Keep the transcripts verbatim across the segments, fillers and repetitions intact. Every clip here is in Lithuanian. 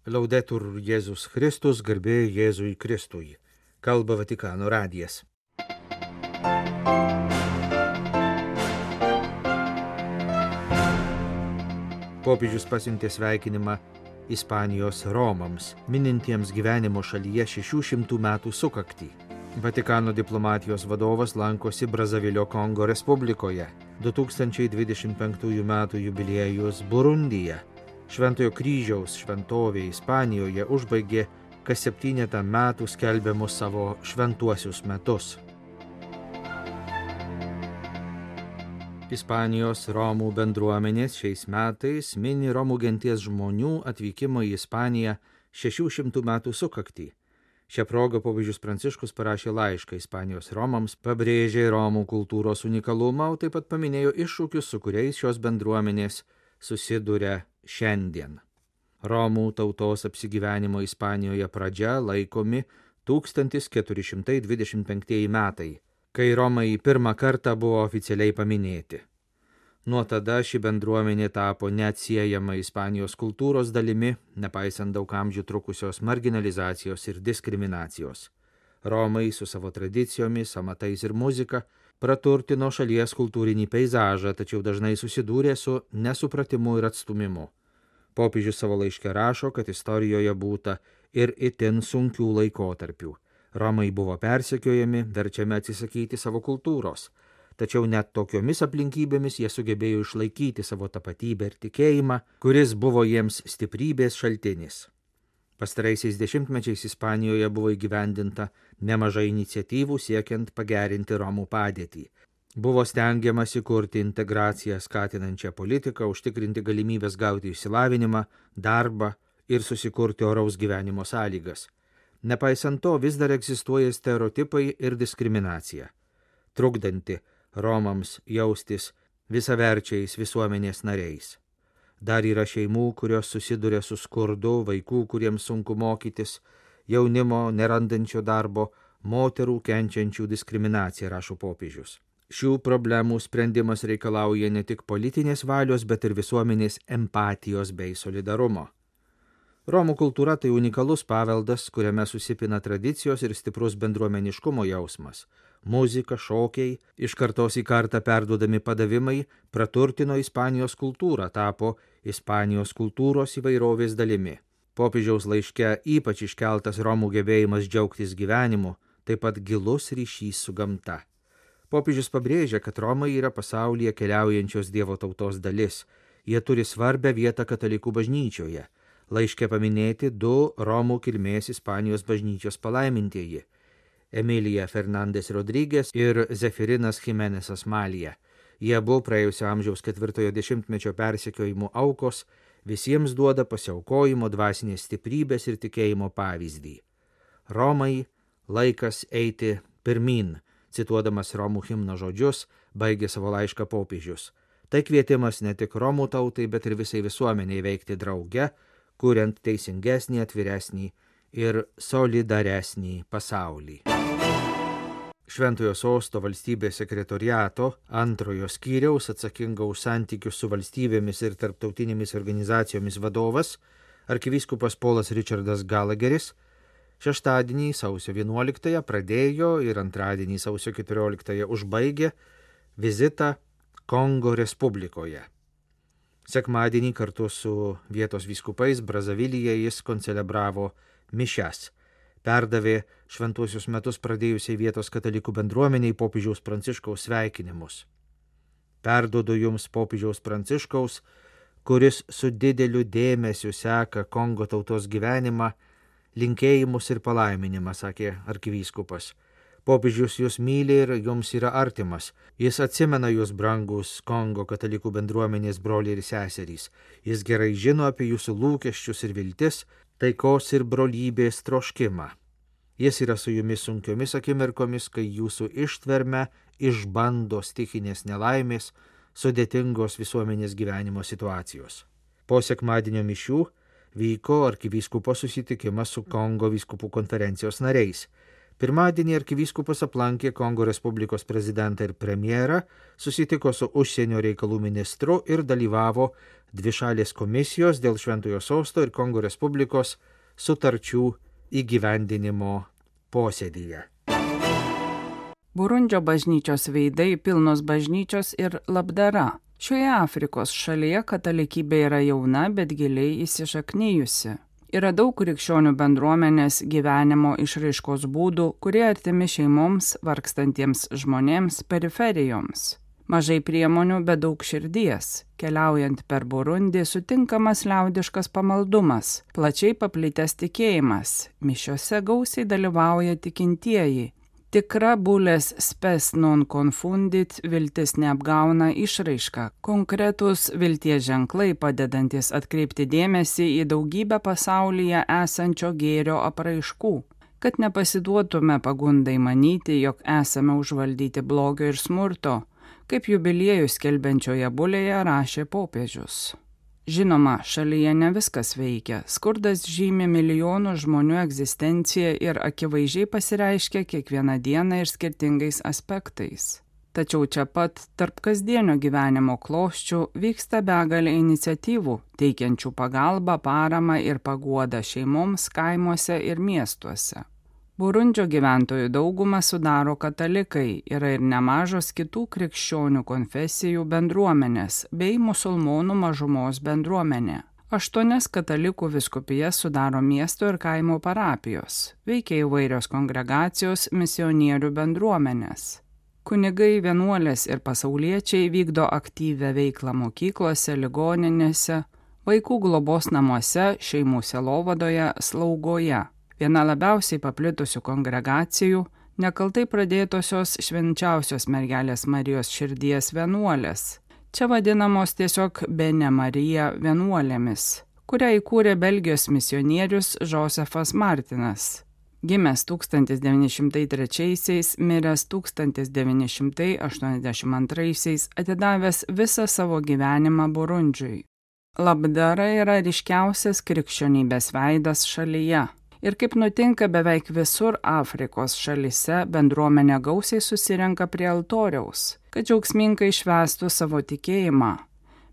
Laudetur Jėzus Kristus, garbė Jėzui Kristui. Kalba Vatikano radijas. Popiežius pasiuntė sveikinimą Ispanijos Romams, minintiems gyvenimo šalyje šešių šimtų metų sukaktį. Vatikano diplomatijos vadovas lankosi Brazavilio Kongo Respublikoje. du tūkstančiai dvidešimt penktųjų metų jubiliejus Burundyje. Šventojo kryžiaus šventovė Ispanijoje užbaigė kas septynetą metų skelbiamus savo šventuosius metus. Ispanijos Romų bendruomenės šiais metais mini Romų genties žmonių atvykimo į Ispaniją šešių šimtų metų sukaktį. Šią progą popiežius Pranciškus parašė laišką Ispanijos Romams, pabrėžė Romų kultūros unikalumą, o taip pat paminėjo iššūkius, su kuriais šios bendruomenės susiduria šiandien. Romų tautos apsigyvenimo Ispanijoje pradžia laikomi tūkstantis keturi šimtai dvidešimt penktieji metai, kai Romai pirmą kartą buvo oficialiai paminėti. Nuo tada ši bendruomenė tapo neatsiejama Ispanijos kultūros dalimi, nepaisant daug amžių trukusios marginalizacijos ir diskriminacijos. Romai su savo tradicijomis, amatais ir muzika praturtino šalies kultūrinį peizažą, tačiau dažnai susidūrė su nesupratimu ir atstumimu. Popiežius savo laiške rašo, kad istorijoje būta ir itin sunkių laikotarpių. Romai buvo persekiojami, verčiami atsisakyti savo kultūros. Tačiau net tokiomis aplinkybėmis jie sugebėjo išlaikyti savo tapatybę ir tikėjimą, kuris buvo jiems stiprybės šaltinis. Pastaraisiais dešimtmečiais Ispanijoje buvo įgyvendinta nemažai iniciatyvų siekiant pagerinti Romų padėtį. Buvo stengiamasi kurti integraciją skatinančią politiką, užtikrinti galimybės gauti išsilavinimą, darbą ir susikurti oraus gyvenimo sąlygas. Nepaisant to, vis dar egzistuoja stereotipai ir diskriminacija, trukdanti Romams jaustis visaverčiais visuomenės nariais. Dar yra šeimų, kurios susiduria su skurdu, vaikų, kuriems sunku mokytis, jaunimo nerandančio darbo, moterų kenčiančių diskriminaciją, rašo popiežius. Šių problemų sprendimas reikalauja ne tik politinės valios, bet ir visuomenės empatijos bei solidarumo. Romų kultūra tai unikalus paveldas, kuriame susipina tradicijos ir stiprus bendruomeniškumo jausmas. Muzika, šokiai, iš kartos į kartą perduodami padavimai praturtino Ispanijos kultūrą, tapo Ispanijos kultūros įvairovės dalimi. Popiežiaus laiške ypač iškeltas Romų gebėjimas džiaugtis gyvenimu, taip pat gilus ryšys su gamta. Popiežius pabrėžia, kad Romai yra pasaulyje keliaujančios Dievo tautos dalis. Jie turi svarbią vietą katalikų bažnyčioje. Laiške paminėti du Romų kilmės Ispanijos bažnyčios palaimintieji – Emilija Fernandes Rodriguez ir Zefirinas Jimenezas Malija. Jie buvo praėjusio amžiaus ketvirtojo dešimtmečio persekiojimų aukos, visiems duoda pasiaukojimo, dvasinės stiprybės ir tikėjimo pavyzdį. Romai, laikas eiti pirmin, cituodamas Romų himno žodžius, baigė savo laišką popiežius. Tai kvietimas ne tik Romų tautai, bet ir visai visuomeniai veikti drauge, kuriant teisingesnį, atviresnį ir solidaresnį pasaulį. Šventojo sosto valstybės sekretoriato antrojo skyriaus atsakingo už santykius su valstybėmis ir tarptautinėmis organizacijomis vadovas, arkivyskupas Polas Richardas Gallagheris, šeštadienį sausio vienuoliktąją pradėjo ir antradienį sausio keturioliktąją užbaigė vizitą Kongo Respublikoje. Sekmadienį kartu su vietos vyskupais Brazavilyje jis koncelebravo mišias. Perdavė šventuosius metus pradėjusiai vietos katalikų bendruomeniai popiežiaus Pranciškaus sveikinimus. Perduodu jums popiežiaus Pranciškaus, kuris su dideliu dėmesiu seka Kongo tautos gyvenimą, linkėjimus ir palaiminimą, sakė arkivyskupas. Popiežius jūs myli ir jums yra artimas. Jis atsimena jūs, brangus Kongo katalikų bendruomenės broliai ir seserys. Jis gerai žino apie jūsų lūkesčius ir viltis, taikos ir brolybės troškimą. Jis yra su jumis sunkiomis akimirkomis, kai jūsų ištverme išbando stichinės nelaimės, sudėtingos visuomenės gyvenimo situacijos. Po sekmadienio mišių vyko arkivyskupo susitikimas su Kongo vyskupų konferencijos nariais. Pirmadienį arkivyskupas aplankė Kongo Respublikos prezidentą ir premjerą, susitiko su užsienio reikalų ministru ir dalyvavo dvišalės komisijos dėl Šventojo Sosto ir Kongo Respublikos sutarčių įgyvendinimo posėdyje. Burundžio bažnyčios veidai, pilnos bažnyčios ir labdara. Šioje Afrikos šalyje katalikybė yra jauna, bet giliai įsišaknyjusi. Yra daug krikščionių bendruomenės gyvenimo išraiškos būdų, kurie artimi šeimoms, vargstantiems žmonėms, periferijoms. Mažai priemonių, bet daug širdies. Keliaujant per Burundį sutinkamas liaudiškas pamaldumas, plačiai paplitęs tikėjimas. Mišiose gausiai dalyvauja tikintieji. Tikra bulės spes non confundit, viltis neapgauna išraiška, konkretus vilties ženklai padedantis atkreipti dėmesį į daugybę pasaulyje esančio gėrio apraiškų, kad nepasiduotume pagundai manyti, jog esame užvaldyti blogio ir smurto, kaip jubiliejų skelbiančioje bulėje rašė popiežius. Žinoma, šalyje ne viskas veikia. Skurdas žymi milijonų žmonių egzistenciją ir akivaizdžiai pasireiškia kiekvieną dieną ir skirtingais aspektais. Tačiau čia pat, tarp kasdienio gyvenimo klosčių, vyksta begalė iniciatyvų, teikiančių pagalbą, paramą ir paguodą šeimoms kaimuose ir miestuose. Burundžio gyventojų daugumą sudaro katalikai, yra ir nemažos kitų krikščionių konfesijų bendruomenės bei musulmonų mažumos bendruomenė. Aštuonias katalikų vyskupijas sudaro miesto ir kaimo parapijos, veikia įvairios kongregacijos, misionierių bendruomenės. Kunigai, vienuolės ir pasauliečiai vykdo aktyvią veiklą mokyklose, ligoninėse, vaikų globos namuose, šeimų sielovadoje, slaugoje. Viena labiausiai paplitusių kongregacijų – nekaltai pradėtosios švenčiausios mergelės Marijos širdies vienuolės. Čia vadinamos tiesiog Bene Marija vienuolėmis, kurią įkūrė Belgijos misionierius Josefas Martinas. Gimęs tūkstantis devyni šimtai trečiaisiais, miręs tūkstantis devyni šimtai aštuoniasdešimt antraisiais, atidavęs visą savo gyvenimą Burundžiui. Labdara yra ryškiausias krikščionybės veidas šalyje. Ir kaip nutinka beveik visur Afrikos šalyse, bendruomenė gausiai susirenka prie altoriaus, kad džiaugsmingai švęstų savo tikėjimą.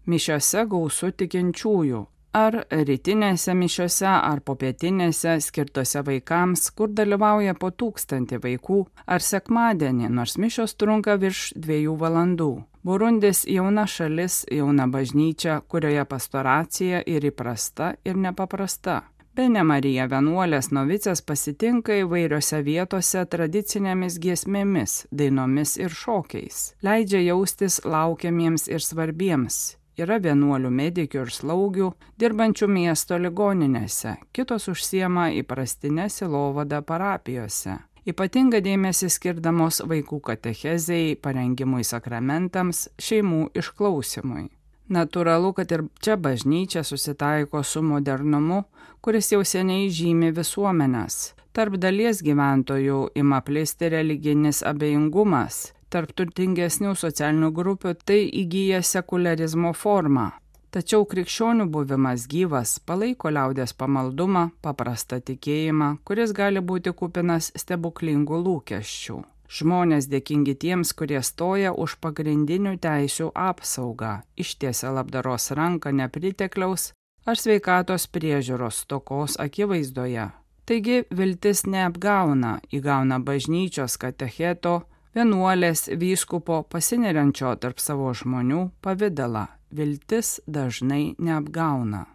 Mišiose gausu tikinčiųjų, ar rytinėse mišiose, ar popietinėse skirtose vaikams, kur dalyvauja po tūkstantį vaikų, ar sekmadienį, nors mišios trunka virš dviejų valandų. Burundis jauna šalis, jauna bažnyčia, kurioje pastoracija ir įprasta, ir nepaprasta. Bene Marija vienuolės novicės pasitinka įvairiose vietose tradicinėmis giesmėmis, dainomis ir šokiais. Leidžia jaustis laukiamiems ir svarbiems. Yra vienuolių medikių ir slaugių, dirbančių miesto ligoninėse, kitos užsiema įprastinę sielovadą parapijose. Ypatinga dėmesį skirdamos vaikų katechezei, parengimui sakramentams, šeimų išklausimui. Natūralu, kad ir čia bažnyčia susitaiko su modernumu, kuris jau seniai žymi visuomenės. Tarp dalies gyventojų ima plisti religinis abejingumas, tarp turtingesnių socialinių grupių tai įgyja sekularizmo formą. Tačiau krikščionių buvimas gyvas palaiko liaudies pamaldumą, paprastą tikėjimą, kuris gali būti kupinas stebuklingų lūkesčių. Žmonės dėkingi tiems, kurie stoja už pagrindinių teisių apsaugą, ištiesia labdaros ranką nepritekliaus ar sveikatos priežiūros stokos akivaizdoje. Taigi viltis neapgauna, įgauna bažnyčios katecheto, vienuolės vyskupo pasineriančio tarp savo žmonių pavidalą. Viltis dažnai neapgauna.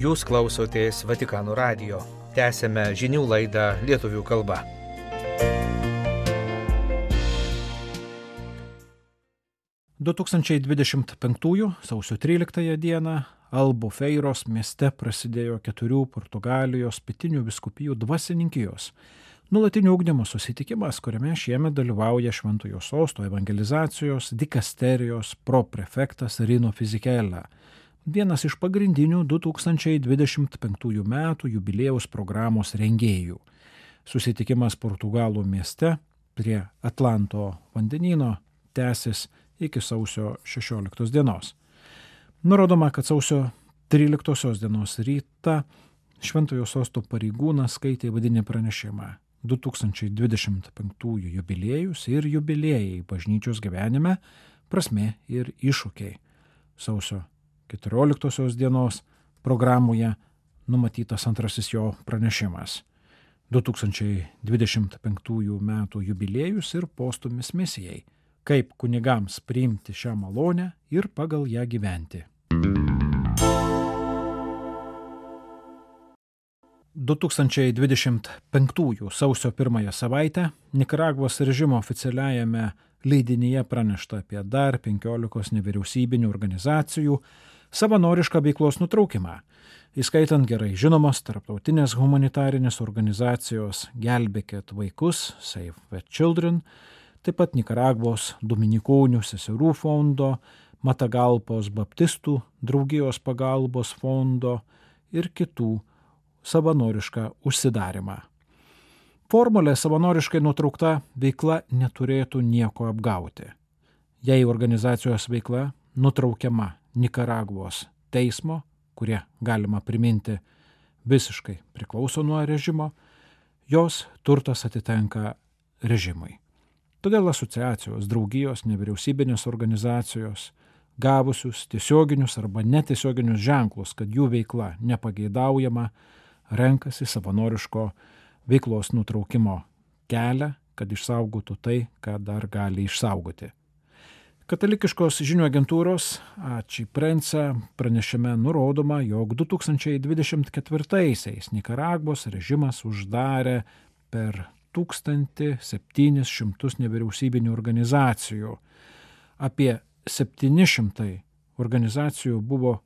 Jūs klausotės Vatikano radijo. Tęsėme žinių laidą lietuvių kalba. du tūkstančiai dvidešimt penktųjų sausio tryliktąją dieną Albufeiros mieste prasidėjo keturių Portugalijos pietinių vyskupijų dvasininkijos nuolatinio ugdymo susitikimas, kuriame šiemet dalyvauja Šventojo Sosto evangelizacijos dikasterijos proprefektas Rino Fisichella, vienas iš pagrindinių du tūkstančiai dvidešimt penktųjų metų jubiliejaus programos rengėjų. Susitikimas Portugalų mieste prie Atlanto vandenyno tęsis iki sausio šešioliktos dienos. Nurodoma, kad sausio tryliktosios dienos rytą Šventojo sosto pareigūnas skaitė vadinį pranešimą du tūkstančiai dvidešimt penktųjų jubiliejus ir jubiliejai bažnyčios gyvenime, prasmė ir iššūkiai. Sausio keturioliktosios dienos programoje numatytas antrasis jo pranešimas. du tūkstančiai dvidešimt penktųjų metų jubiliejus ir postūmis misijai. Kaip kunigams priimti šią malonę ir pagal ją gyventi. du tūkstančiai dvidešimt penktųjų sausio pirmąją savaitę Nikaragvos režimo oficialiajame leidinyje pranešta apie dar penkiolikos nevyriausybinių organizacijų savanorišką veiklos nutraukimą, įskaitant gerai žinomos tarptautinės humanitarinės organizacijos Gelbėkit vaikus, Save the Children, taip pat Nikaragvos Dominikonių seserų fondo, Matagalpos baptistų draugijos pagalbos fondo ir kitų savanorišką užsidarimą. Formulė savanoriškai nutraukta veikla neturėtų nieko apgauti. Jei organizacijos veikla nutraukiama Nikaragvos teismo, kurie galima priminti visiškai priklauso nuo režimo, jos turtas atitenka režimui. Todėl asociacijos, draugijos, nevyriausybinės organizacijos, gavusius tiesioginius arba netiesioginius ženklus, kad jų veikla nepageidaujama, renkasi savanoriško veiklos nutraukimo kelią, kad išsaugotų tai, ką dar gali išsaugoti. Katalikiškos žinių agentūros Ači Prensa pranešime nurodoma, jog du tūkstančiai dvidešimt ketvirtaisiais Nikaragvos režimas uždarė per tūkstantį septynis šimtus nevyriausybinių organizacijų. Apie septyni šimtai organizacijų buvo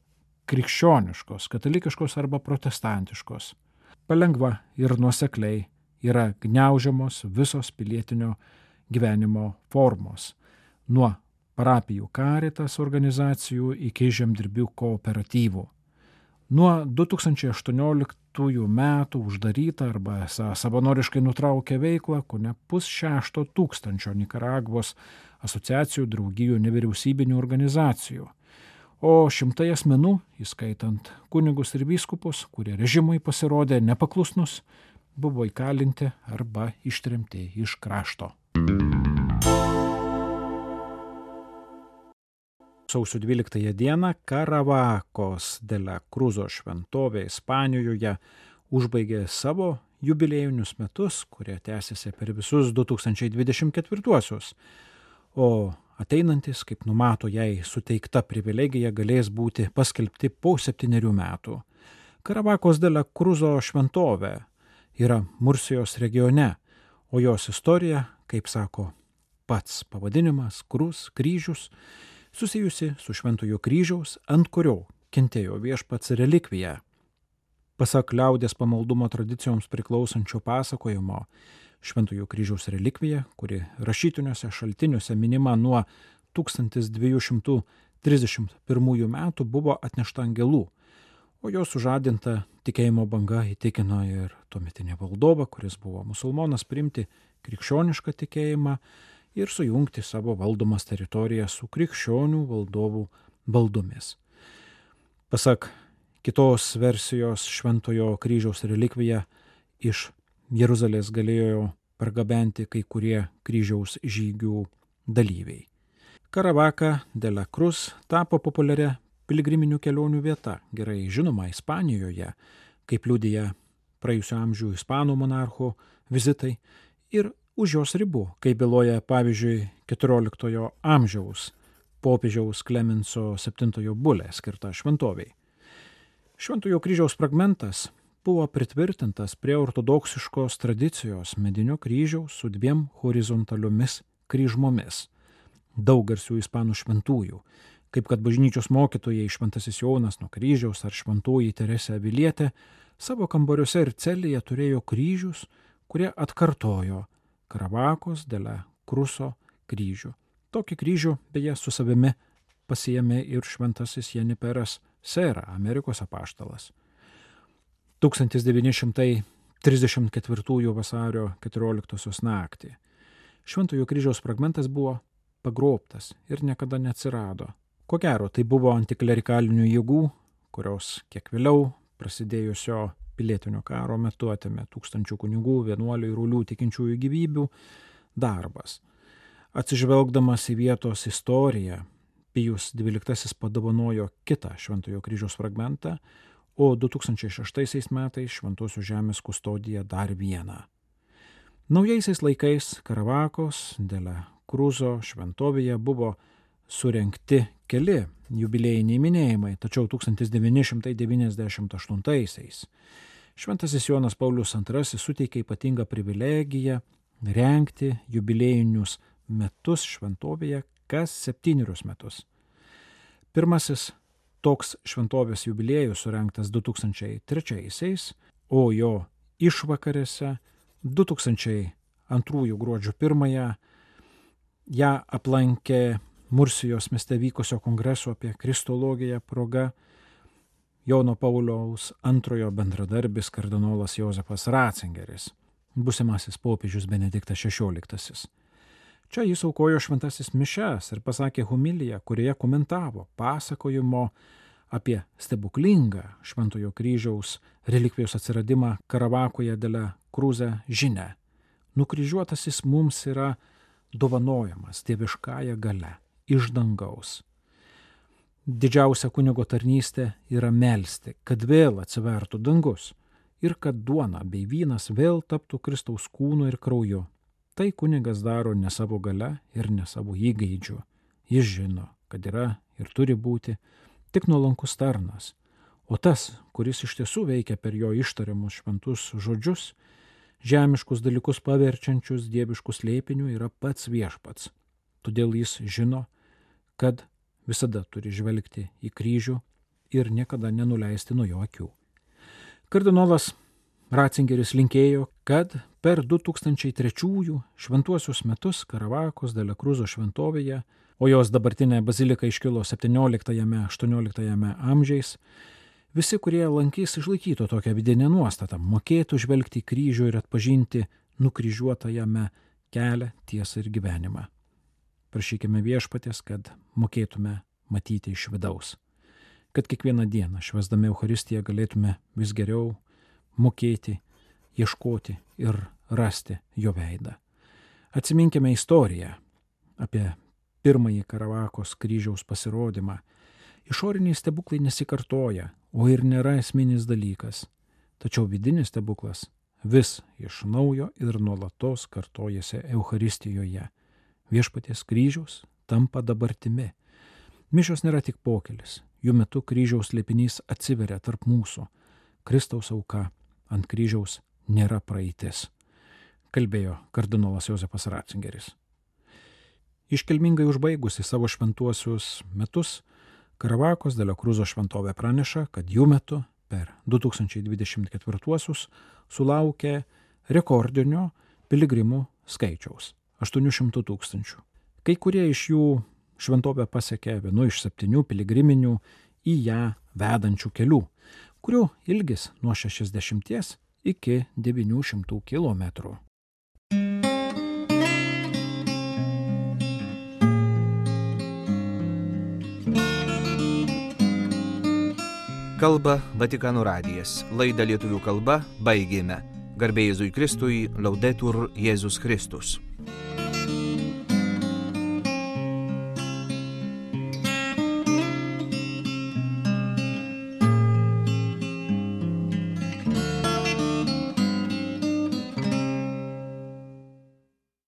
krikščioniškos, katalikiškos arba protestantiškos. Palengva ir nuosekliai yra gniaužiamos visos pilietinio gyvenimo formos, nuo parapijų Caritas organizacijų iki žemdirbių kooperatyvų. Nuo du tūkstančiai aštuonioliktųjų metų uždaryta arba savanoriškai nutraukė veiklą kone pusšešto tūkstančio Nikaragvos asociacijų, draugijų, nevyriausybinių organizacijų. O šimtai asmenų, įskaitant kunigus ir vyskupus, kurie režimui pasirodė nepaklusnus, buvo įkalinti arba ištremti iš krašto. Sausio dvyliktąją dieną Karavakos de la Cruzo šventovė Ispanijoje užbaigė savo jubiliejinius metus, kurie tęsiasi per visus du tūkstančiai dvidešimt ketvirtuosius, o ateinantis, kaip numato jai suteikta privilegija, galės būti paskelbti po septynerių metų. Karavakos de la Cruzo šventovė yra Mursijos regione, o jos istorija, kaip sako pats pavadinimas, Kruz, kryžius, susijusi su Šventojo kryžiaus, ant kurio kentėjo viešpats relikvija. Pasak liaudės pamaldumo tradicijoms priklausančio pasakojimo, Šventojo kryžiaus relikvija, kuri rašytiniuose šaltiniuose minima nuo tūkstantis dviejų šimtų trisdešimt pirmųjų metų, buvo atnešta angelų, o jos sužadinta tikėjimo banga įtikino ir tuometinį valdovą, kuris buvo musulmonas, priimti krikščionišką tikėjimą ir sujungti savo valdomas teritorijas su krikščionių valdovų valdomis. Pasak kitos versijos, Šventojo kryžiaus relikvija iš Jeruzalės galėjo pargabenti kai kurie kryžiaus žygių dalyviai. Karavaka de la Cruz tapo populiaria piligriminių kelionių vieta, gerai žinoma Ispanijoje, kaip liudija praėjusio amžių ispanų monarchų vizitai, ir už jos ribų, kaip byloja pavyzdžiui keturioliktojo amžiaus popiežiaus Klemenso septintojo bulė skirta šventoviai. Šventojo kryžiaus fragmentas buvo pritvirtintas prie ortodoksiškos tradicijos medinio kryžiaus su dviem horizontaliomis kryžmomis, daug garsių ispanų šventųjų, kaip kad bažnyčios mokytojai Šventasis Jonas nuo kryžiaus ar šventoji Teresė Avilietė savo kambariuose ir celėje turėjo kryžius, kurie atkartojo Karavakos de la Cruzo kryžių. Tokį kryžių beje su savimi pasiėmė ir šventasis Jeniperas Sera, Amerikos apaštalas. tūkstantis devyni šimtai trisdešimt ketvirtųjų vasario keturioliktosios naktį Šventojo kryžiaus fragmentas buvo pagrobtas ir niekada neatsirado. Ko gero, tai buvo antiklerikalinių jėgų, kurios kiek vėliau prasidėjusio pilietinio karo metu atėmė tūkstančių kunigų, vienuolių ir uolių tikinčiųjų gyvybių darbas. Atsižvelgdamas į vietos istoriją, Pijus dvyliktasis padovanojo kitą Šventojo kryžiaus fragmentą, o du tūkstančiai šeštaisiais metais Šventosios žemės kustodija dar vieną. Naujaisiais laikais Karavakos della Cruzo šventovėje buvo surengti keli jubiliejiniai minėjimai, tačiau tūkstantis devyni šimtai devyniasdešimt aštuntaisiais Šventasis Jonas Paulius antrasis suteikė ypatingą privilegiją rengti jubiliejinius metus šventovėje kas septynerius metus. Pirmasis toks šventovės jubiliejus surengtas du tūkstančiai trečiaisiais, o jo išvakarėse du tūkstančiai antrųjų gruodžio pirmąją ją aplankė Mursijos mieste vykusio kongreso apie kristologiją proga Jono Pauliaus antrojo bendradarbis kardinolas Jozefas Ratzingeris, būsimasis popiežius Benediktas šešioliktasis. Čia jis aukojo šventasis mišias ir pasakė homiliją, kurioje komentavo pasakojimo apie stebuklingą Šventojo kryžiaus relikvijos atsiradimą Karavakoje della Cruzo žinią. Nukryžiuotasis mums yra dovanojamas dieviškąja galia iš dangaus. Didžiausia kunigo tarnystė yra melsti, kad vėl atsivertų dangus ir kad duona bei vynas vėl taptų Kristaus kūnu ir krauju. Tai kunigas daro ne savo galia ir ne savo įgeidžiu. Jis žino, kad yra ir turi būti tik nuolankus tarnas, o tas, kuris iš tiesų veikia per jo ištariamus šventus žodžius, žemiškus dalykus paverčiančius dieviškų slėpinių, yra pats viešpats. Todėl jis žino, kad visada turi žvelgti į kryžių ir niekada nenuleisti nuo jo akių. Kardinolas Ratzingeris linkėjo, kad per du tūkstančiai trečiųjų šventuosius metus Karavakos della Cruzo šventovėje, o jos dabartinė bazilika iškilo septynioliktajame aštuonioliktajame amžiais, visi, kurie lankys, išlaikytų tokią vidinę nuostatą, mokėtų žvelgti į kryžių ir atpažinti nukryžiuotajame kelią, tiesą ir gyvenimą. Prašykime viešpaties, kad mokėtume matyti iš vidaus, kad kiekvieną dieną švęsdami Eucharistiją galėtume vis geriau mokėti, ieškoti ir rasti jo veidą. Atsiminkime istoriją apie pirmąjį Karavakos kryžiaus pasirodymą. Išoriniai stebuklai nesikartoja, o ir nėra esminis dalykas. Tačiau vidinis stebuklas vis iš naujo ir nuolatos kartojasi Eucharistijoje. Viešpaties kryžiaus tampa dabartimi. Mišios nėra tik pokelis, jų metu kryžiaus slėpinys atsiveria tarp mūsų. Kristaus auka ant kryžiaus nėra praeitis, kalbėjo kardinolas Jozefas Ratzingeris. Iškilmingai užbaigusi savo šventuosius metus, Karavakos della Cruzo šventovė praneša, kad jų metu per du tūkstančiai dvidešimt ketvirtuosius sulaukė rekordinio piligrimų skaičiaus – aštuonių šimtų tūkstančių. Kai kurie iš jų šventovę pasiekė vienu iš septynių piligriminių į ją vedančių kelių, kurių ilgis nuo šešiasdešimties iki devynių šimtų kilometrų. Kalba Vatikano radijas. Laidą lietuvių kalba baigėme. Garbė Jėzui Kristui, Laudetur Jėzus Kristus.